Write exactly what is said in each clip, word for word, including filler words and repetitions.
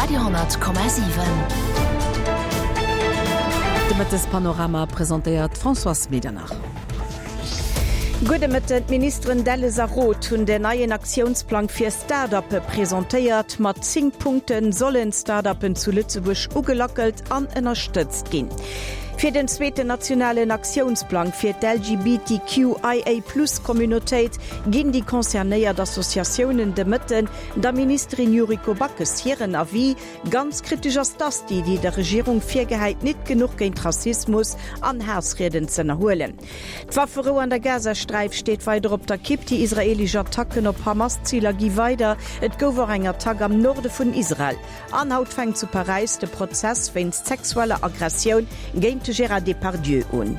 Radio honnert Komma siwen. De Mëttespanorama presentéiert d'Françoise Medernach. Gudde Mëtten, D'Ministeren Delles a Roth hunn den neien Aktiounsplang fir Start-uppe presentéiert. Mat zéng Punkte sollen Start-uppen zu Lëtzebuerg ugelackelt an ënnerstëtzt ginn. Fir den zweeten nationalen Aktiounsplang fir d'LGBTQIA-Plus-Communautéit ginn déi concernéiert Associatiounen de Mëtten der Ministerin Yuriko Backes hiren Avis. Ganz kritesch ass d'ASTI, déi der Regierung virgehäit, nit genuch géint Rassismus an Haassrieden z'ënnerhuelen. D'Wafferou an der Gazasträif steet weider op der Kipp. Déi israeelesch Attacken op Hamas-Ziler gi weider. Et gouf och eng Attack am Norde vun Israel. An haut fänkt zu Paräis de Prozess wéinst sexueller Aggressioun géint de Gérard Depardieu un.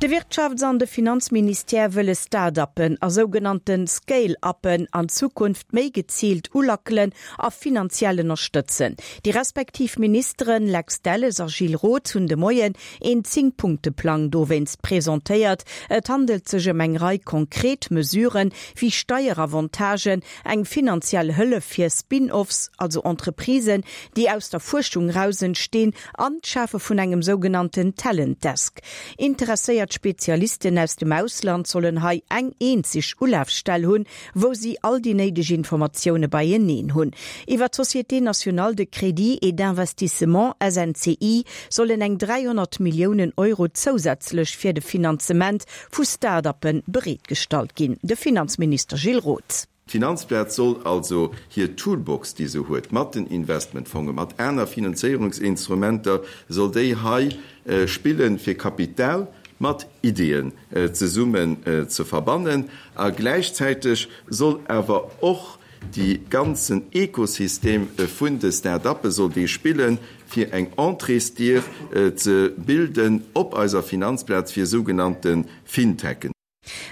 De Wirtschafts an de Finanzministère wëlle Start-uppen a sougenannte Scale-uppen an Zukunft méi geziilt ulackelen a finanziell ënnerstëtzen. Déi respektiv Ministeren Lex Delles a Gilles Roth hunn de Moien een Zéng-Punkte-Plang dowéinst presentéiert. Et handelt sech ëm eng Rei konkret Mesuren, wéi Steieravantagen, eng finanziell Hëllef fir Spin-offs, also Entreprisen, déi aus der Fuerschung eraus entstinn, an d'Schafe vun engem sougenannten Talent Desk. Interesséiert Spezialisten aus dem Ausland sollen hei eng eenzeg Ulafstell hunn, wou si all déi néideg Informatioune beieneen hunn. Iwwer d'Société nationale de crédit et d'investissement, S N C I, sollen eng dräihonnert Milliounen Euro zousätzlech fir de Finanzement vu Start-uppe bereetgestallt ginn. De Finanzminister Gilles Roth. D'Finanzplaz soll also hir Toolbox, déi se huet, mat den Investmentfongen, mat aner Finanzéierungsinstrumenter, soll déi hei spillen, fir Kapital mat Ideeën zesummen ze verbannen. A gläichzäiteg soll awer och déi ganzen Ekosystem vun de Start-uppe soll dee spillen, fir eng Entréesdier ze bilden op eiser Finanzplaz fir sougenannte Fintechen.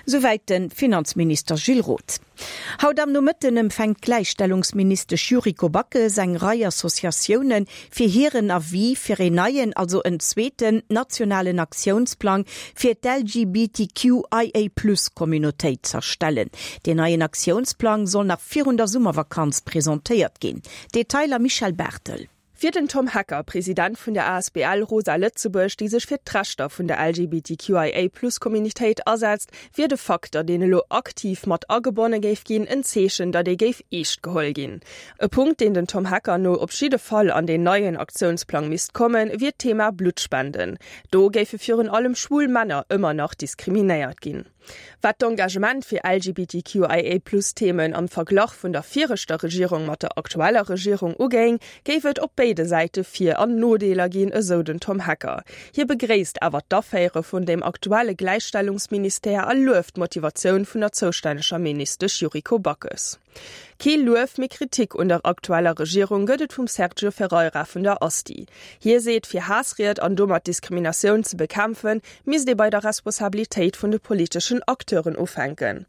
Souwäit de Finanzminister Gilles Roth. Haut am Nomëtten empfänkt d'Gläichstellungsministesch Yuriko Backes eng Rei Associatioune fir hiren Avis fir een neien, also en zweeten nationalen Aktiounsplang fir d'LGBTQIA-Plus-Communautéit z'erstellen. Deen neien Aktiounsplang soll nach virun der Summervakanz presentéiert ginn. Detailer Michèle Barthel. Fir den Tom Hecker, President vun der A S B L Rosa Lëtzebuerg, déi sech fir d'Rechter vun der L G B T Q I A Plus Communitéit asetzt, wier de Fakt, datt een elo aktiv mat agebonne géif ginn, en Zeechen, datt ee géif eescht geholl ginn. E Punkt, deen den Tom Hecker no op jidde Fall an den neien Aktiounsplang misst kommen, wier d'Thema Blutspenden. Do géife virun allem schwul Männer ëmmer nach diskriminéiert ginn. Wat d'Engagement fir L G B T Q I A Plus Themen am Verglach vun der viregter Regierung mat der aktueller Regierung ugéing, géif et op béide Säite Vir- an Nodeeler ginn, esou den Tom Hecker. Hie begréisst awer d'Affäre vun dem aktuelle Gläichstellungsministère a lueft d'Motivatioun vun der zoustänneger Ministesch Yuriko Backes. Kee Luef mee Kritik un der aktueller Regierung gëtt et vum Sergio Ferreira vun der ASTI. Hie seet, fir Haassried an domat Diskriminatioun ze bekämpfen, misst ee bei der Responsabilitéit vun de politeschen Acteuren ufänken.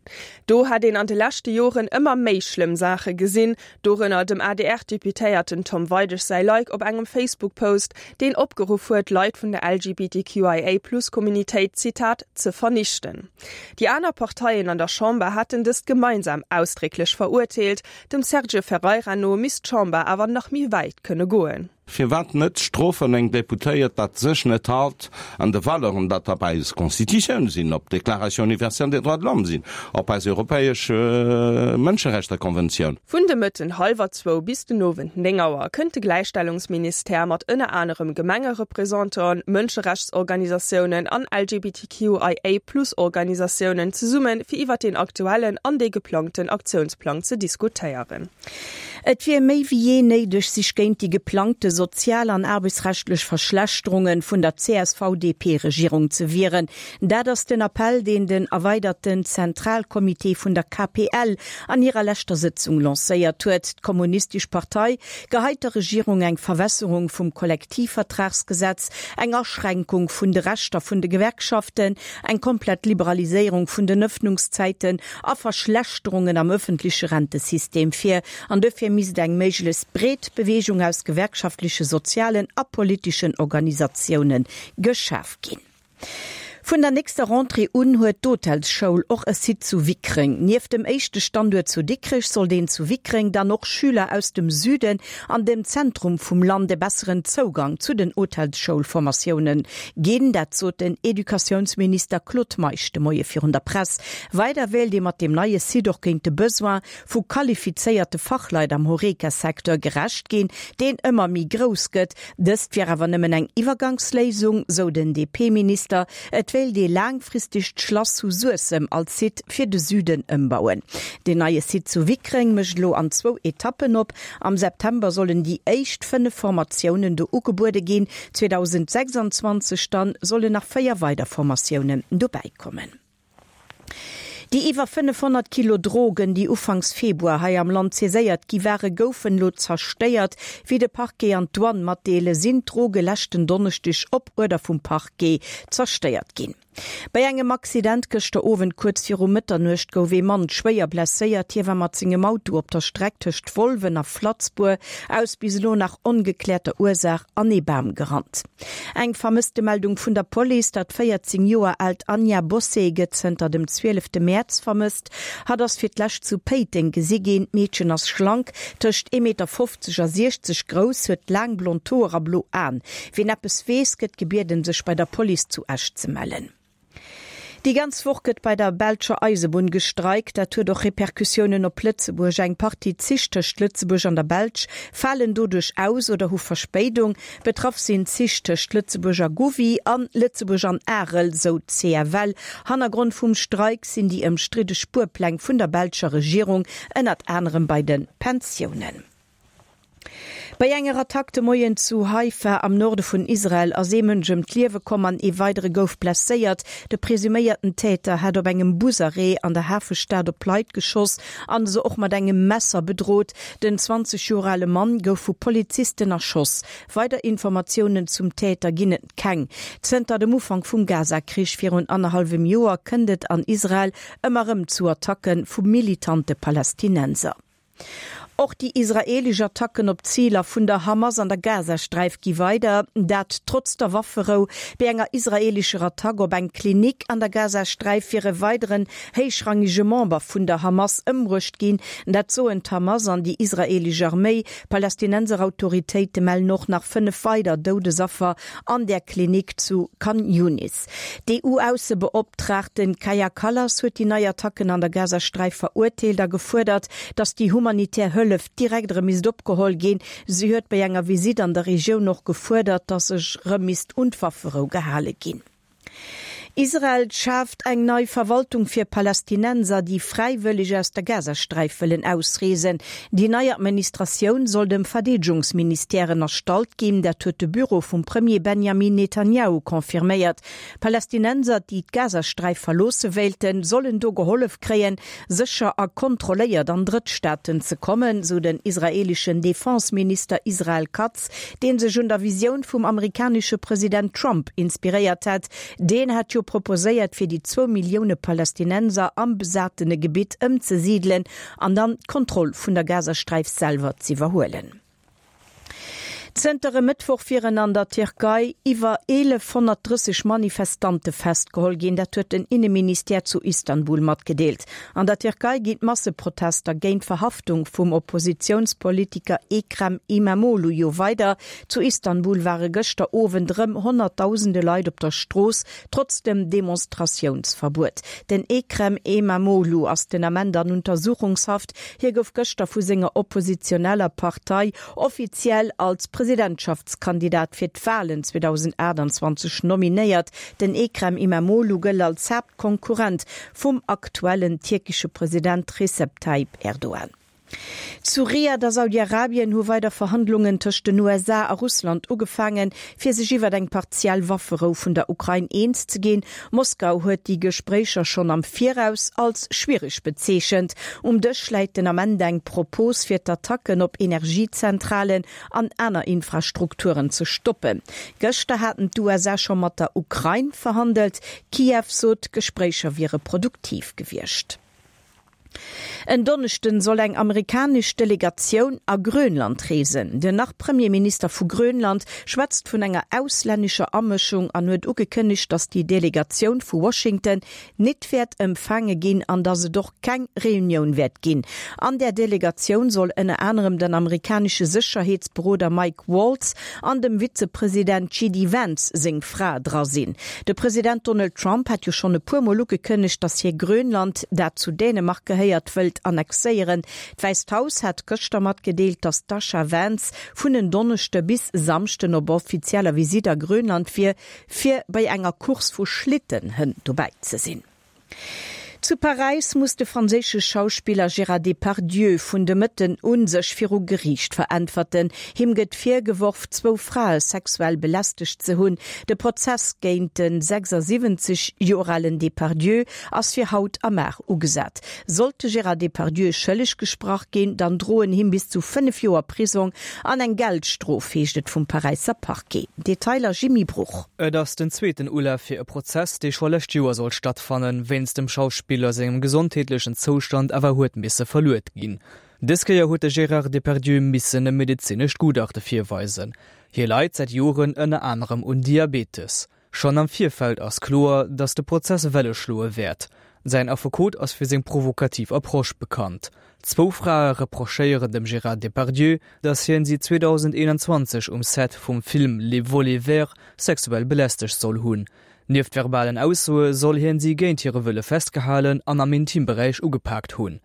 Do hat een an de leschte Joren ëmmer méi schlëmm Saache gesinn, dorënner dem A D R-Deputéierten Tom Weidig säi Like op engem Facebook-Post, deen opgeruff huet, Leit vun der L G B T Q I A Plus Communitéit, Zitat, ze vernichten. Déi aner Parteien an der Chamber haten dëst gemeinsam ausdrécklech verurteelt, dem Sergio Ferreira no misst d'Chamber awer nach méi wäit kënne goen. Firwat net strofen eng Deputéiert, dat sech net halt an de Valeuren, dat op eis Constitutioun sinn, op d'Déclaration universelle des droits de l'homme sinn, op eis europäesch, äh, Mënscherechtekonventioun. Vun de Mëtten hallwer zwou bis den Owend néng Auer kënnt de Gläichstellungsministère mat ënner anerem Gemengereprésentanten, Mënscherechtsorganisatiounen an L G B T Q I A Plus Organisatiounen zesummen, fir iwwer den aktuellen an de geplangten Aktiounsplang ze diskutéieren. Et wier méi wéi jee néideg, sech géint déi geplangte sozial- an aarbechtsrechtlech Verschlechterungen vun der C S V D P-Regierung ze wieren. Dat ass den Appell, deen den erweiderten Zentralkomitee vun der K P L an hirer leschter Sitzung lancéiert huet. D'Kommunistesch Partei geheit der Regierung eng Verwässerung vum Kollektivvertragsgesetz, eng Aschränkung vun de Rechter vun de Gewerkschaften, eng komplett Liberaliséierung vun den Öffnungszeiten a Verschlechterungen am öffentliche Rentesystem vir. An dofir misst eng méiglechst breet Bewegung aus gewerkschaftliche, sozialen a politischen Organisatiounen geschaf ginn. Vun der nächster Rentrée un huet d'Hotelsschoul och e Site zu Wickreng. Nieft dem éischte Standuert zu Dikrech soll deen zu Wickreng dann och Schüler aus dem Süden an dem Zentrum vum Land e besseren Zougang zu den Hotelsschoulformatiounen ginn. Dat sot den Educatiounsminister Claude Meisch de Moie virun der Press. Weider wéilt ee mat deem neie Site och géint de Besoin vu qualifizéierte Fachleit am Horeca-Secteur gerecht ginn, deen ëmmer méi grouss gëtt. Dëst wier awer nëmmen eng Iwwergangsléisung, sou den D P-Minister. Et wéilt ee laangfristeg d'Schlass zu Suessem als Site fir de Süden ëmbauen. Den neie Site zu Wickreng mécht elo an zwou Etappen op. Am September sollen déi éischt fënnef Formatiounen do ugebuede ginn, zweedausendsechsanzwanzeg dann sollen nach véier weider Formatiounen dobäi kommen. Déi iwwer fënnefhonnert Kilo Drogen, déi ufanks Februar hei am Land saiséiert gi ware, goufen elo zerstéiert. Wéi de Parquet an d'Douane matdeele sinn d'Droge leschten Donneschdeg op Uerder vum Parquet zerstéiert ginn. Bei engem Accident gëschter Owend kuerz viru Mëtternuecht gouf ee Mann schwéier blesséiert. Hie war mat sengem Auto op der Streck tëscht Wolwen a Flatzbour aus bis elo nach ongekläerter Ursaach an ee Bam gerannt. Eng Vermësstemeldung vun der Police, Dat véierzéng Joer aalt Anja Bossé gëtt zënter dem zwielefte Mäerz vermësst. Hatt ass fir d'lescht zu Péiteng gesi ginn. D'Meedchen ass schlank, tëscht ee Meter fofzeg a siechzeg grouss, huet laang blond Hoer a blo Aen. Wien eppes weess, gëtt gebieden, sech bei der Police zu Esch ze mellen. Déi ganz Woch gëtt bei der belscher Eisebunn gestreikt. Dat huet och Repercussiounen op Lëtzebuerg. Eng Partie Zich tëscht Lëtzebuerg an der Belsch falen doduerch aus oder hu Verspéidung. Betraff sinn Zich tëscht Lëtzebuerg a Gouvy an Lëtzebuerg an Arel, sou d'C F L. Hannergrond vum Streik sinn déi ëmstridde Spuerpläng vun der belscher Regierung, ënnert anerem bei de Pensiounen. Bei enger Attack de Moien zu Haifa am Norde vun Israel ass ee Mënsch ëm d'Liewe komm an ee weidere gouf blesséiert. De presuméierten Täter hat op engem Busarrêt an der Hafestad op Leit geschoss an se och mat engem Messer bedrot. Den zwanzeg Joer ale Mann gouf vu Polizisten erschoss. Weider Informatiounen zum Täter ginn et keng. Zënter dem Ufank vum Gaza-Krich virun annerhallwem Joer kënnt et an Israel ëmmer erëm zu Attacke vu militante Palästinenser. Och déi israeelesch Attacken op Ziler vun der Hamas an der Gazasträif gi weider, dat trotz der Wafferou. Bei enger israeelescher Attack op eng Klinik an der Gazasträif wier e weideren héichrangege Member vun der Hamas ëmbruecht ginn, dat soen d'Hamas an déi israeelesch Arméi. Palästinenser Autoritéite mellen och nach fënnef weider Doudesaffer an der Klinik zu Khan Younis. D'E U-Aussebeoptraagten Kaja Kallas huet déi nei Attacken an der Gazasträif verurteelt a gefuerdert, datt déi humanitär Hëllef direkt erëm misst opgeholl ginn. Si huet bei enger Visitt an der Regioun och gefuerdert, datt sech erëm misst un d'Wafferou gehale ginn. Israel schaaft eng nei Verwaltung fir Palästinenser, déi fräiwëlleg aus der Gazasträif wëllen ausreesen. Déi nei Administratioun soll dem Verdeedegungsministère ënnerstallt ginn, dat huet de Büro vum Premier Benjamin Netanjahu confirméiert. Palästinenser, déi d'Gazasträif verloosse wéilten, sollen do gehollef kréien, sécher a kontrolléiert an Drëttstaaten ze kommen, sou den israeeleschen Defenseminister Israel Katz, dee sech un der Visioun vum amerikanesche President Trump inspiréiert hat. Deen hat jo proposéiert, fir déi zwou Millioune Palästinenser am besatene Gebitt ëmzesidelen an dann d'Kontroll vun der Gazasträif selwer z'iwwerhuelen. Zënter e Mëttwoch wieren an der Tierkei iwwer eelefhonnertdrësseg Manifestante festgeholl ginn, dat huet den Inneministère zu Istanbul matgedeelt. An der Tierkei ginn d'Masseprotester géint d'Verhaftung vum Oppositiounspolitiker Ekrem Imamoglu jo weider. Zu Istanbul ware gëschter Owend rëm honnertdausende Leit op der Strooss, trotz dem Demonstratiounsverbuet. Den Ekrem Imamoglu ass den Ament an Untersuchungshaft. Hie gouf gëschter vu senger oppositioneller Partei offiziell als Presidentschaftskandidat fir d'Walen zweedausendaachtanzwanzeg nominéiert. Den Ekrem Imamoglu gëllt als Haaptkonkurrent vum aktuellen tierkesche President Recep Tayyip Erdogan. Zu Riad a Saudi-Arabien hu weider Verhandlungen tëscht den U S A a Russland ugefaangen, fir sech iwwer eng partiell Wafferou vun der Ukrain eens ze ginn. Moskau huet déi Gespréicher schonn am Viraus als schwiereg bezeechent. Um Dësch läit den Ament eng Propos fir d'Attacken op Energiezentralen an aner Infrastrukturen ze stoppen. Gëschter haten d'U S A scho mat der Ukrain verhandelt. Kiew sot, d'Gespréicher wiere produktiv gewiescht. En Donneschden soll eng amerikanesch Delegatioun a Grönland reesen. Den Nach-Premierminister vu Grönland schwätzt vun enger auslännescher Amëschung an huet ugekënnegt, datt déi Delegatioun vu Washington net wäert empfaange ginn an datt et och keng Reunioun wäert ginn. An där Delegatioun soll ënner anerem den amerikanesche Sécherheetsberoder Mike Waltz an dem Vizepresident J D Vance seng Fra dra sinn. De President Donald Trump hat jo schonn e puer Mol ugekënnegt, datt hie Grönland, dat zu Dänemark gehéiert, wëllt annexéieren. D'Wäisst Haus hat gëschter matgedeelt, datt d'Dasha Vance vun en Donneschde bis Samschden op offizieller Visitt a Grönland wier, fir bei enger Course vu Schlittenhënn dobäi ze sinn. Zu Paräis muss de franséische Schauspiller Gérard Depardieu vun de Mëtten u sech viru Geriicht veräntwerten. Him gëtt virgeworf, zwou Frae sexuell belästegt ze hunn. De Prozess géint de sechsasiwwenzeg Joer alen Depardieu ass fir haut am Mar ugesat. Sollt de Gérard Depardieu schëlleg gesprach ginn, dann droen him bis zu fënnef Joer Prisong an eng Geldstrof, heescht et vum Paräisser Parquet. Detailer Jimmy Bruch. Et ass den zweeten Ulaf fir e Prozess, dee scho lescht Joer sollt stattfannen, wéinst dem Schauspiller sengem gesondheetlechen Zoustand awer huet misse verluet ginn. Dës Kéier huet de Gérard Depardieu missen e medezinescht Gutachte virweisen. Hie leit säit Joren ënner anerem un Diabetes. Schonn am Virfeld ass kloer, datt de Prozess Welle schloe wäert. Säin Affekot ass fir seng provokativ Approche bekannt. Zwou Frae reprochéieren dem Gérard Depardieu, datt hien si zweedausendeenanzwanzeg um Set vum Film Les Volets verts sexuell belästegt soll hunn. Nieft verbalen Aussoe soll hien si géint hire Wëlle festgehalen an am Intimberäich ugepaakt hunn.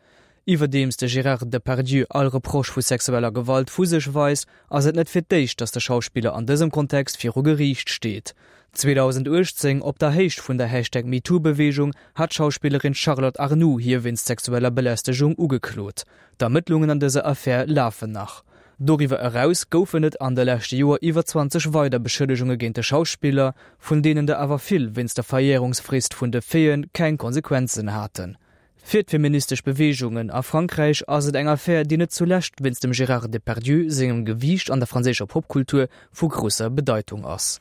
Iwwerdeems de Gérard Depardieu all Reproche vu sexueller Gewalt vu sech weist, ass et net fir d'éischt, datt de Schauspiller an dësem Kontext viru Geriicht steet. zweedausenduechtzéng, op der Héicht vun der Hashtag MeToo-Beweegung, hat d'Schauspillerin Charlotte Arnould hie wéinst sexueller Belästegung ugeklot. D'Ermëttlungen an dëser Affär lafen nach. Doriwwer eraus goufen et an de leschte Joer iwwer zwanzeg weider Beschëllegunge géint de Schauspiller, vun deenen der awer vill wéinst der Verjärungsfrist vun de Faiten keng Konsequenzen haten. Fir d'feministesch Beweegungen a Frankräich ass et eng Affär, déi net zulescht wéinst dem Gérard Depardieu sengem Gewiicht an der franséischer Popkultur vu grousser Bedeitung ass.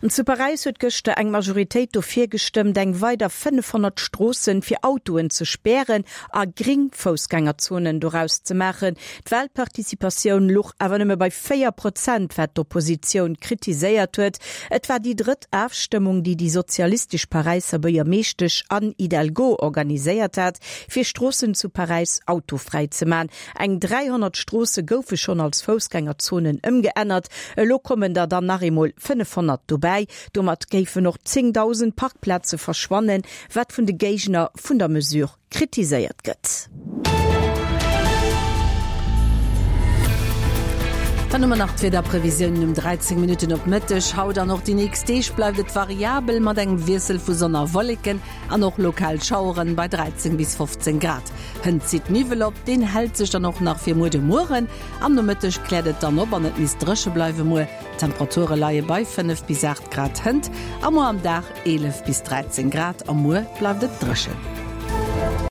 An zu Paräis huet gëschter eng Majoritéit dofir gestëmmt, eng weider fënnefhonnert Stroossen fir Autoen ze spären a gréng Foussgängerzonen doraus ze maachen. D'Walparticipatioun luch awer nëmme bei véier Prozent, wat d'Oppositioun kritiséiert huet. Et war déi drëtt Afstëmmung, déi déi sozialistesch Paräisser Buergermeeschtesch Anne Hidalgo organiséiert hat, fir Stroossen zu Paräis autofräi ze man. Eng dräihonnert Stroosse goufe schonn als Foussgängerzonen ëmgeännert. Elo kommen der dann nach eemol fënnefhonnert dobäi. Domat géifen och zéngdausend Parkplaze verschwannen, wat vun de Géigner vun der Mesure kritiséiert gëtt. Dann hu mer nach d'Wiederprevisiounen um dräizéng Minutten op Mëtteg. Haut an och déi nächst Deeg bleift et variabel mat engem Wiessel vu Sonn a Wolleken an och lokal Schaueren bei dräizéng bis fofzéng Grad. Hënt zitt Niwwel op, deen hält sech dann och nach fir muer de Mueren. Am Nomëtteg kläert et dann op an et misst dréche bleiwe muer. D'Temperature leie bei fënnef bis aacht Grad hënt a muer am Dag eelef bis dräizéng Grad a muer bleift et dréchen.